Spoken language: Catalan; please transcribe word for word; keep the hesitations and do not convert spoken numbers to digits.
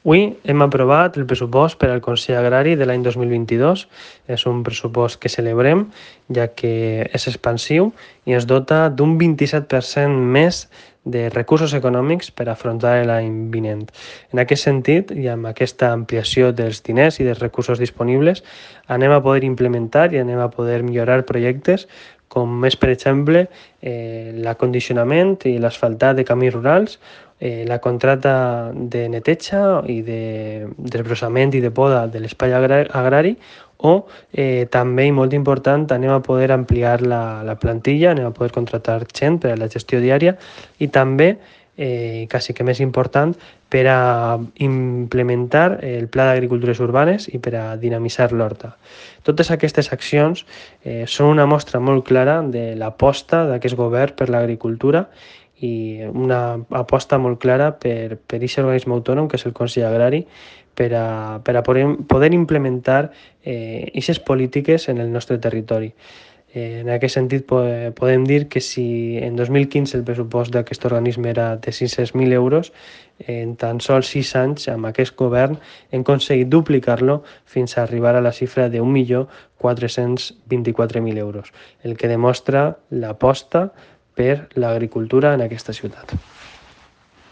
Avui hem aprovat el pressupost per al Consell Agrari de l'any dos mil vint-i-dos. És un pressupost que celebrem, ja que és expansiu i ens dota d'un vint-i-set per cent més de recursos econòmics per afrontar l'any vinent. En aquest sentit, i amb aquesta ampliació dels diners i dels recursos disponibles, anem a poder implementar i anem a poder millorar projectes com és, per exemple, eh, l'acondicionament i l'asfaltat de camins rurals, eh, la contracta de neteja i de desbrossament i de poda de l'espai agrari, o eh, també, i molt important, anem a poder ampliar la, la plantilla, anem a poder contractar gent per a la gestió diària i també, eh, quasi que més important, per a implementar el Pla d'Agricultures Urbanes i per a dinamitzar l'horta. Totes aquestes accions eh, són una mostra molt clara de l'aposta d'aquest govern per l'agricultura i una aposta molt clara per per aquest organisme autònom que és el Consell Agrari per a, per a poder, poder implementar aquestes eh, polítiques en el nostre territori. Eh, en aquest sentit, podem dir que si en dos mil quinze el pressupost d'aquest organisme era de sis-cents mil euros, en tan sols sis anys, amb aquest govern, hem aconseguit duplicar-lo fins a arribar a la xifra d'un milió quatre-cents vint-i-quatre mil euros, el que demostra l'aposta per l'agricultura en aquesta ciutat.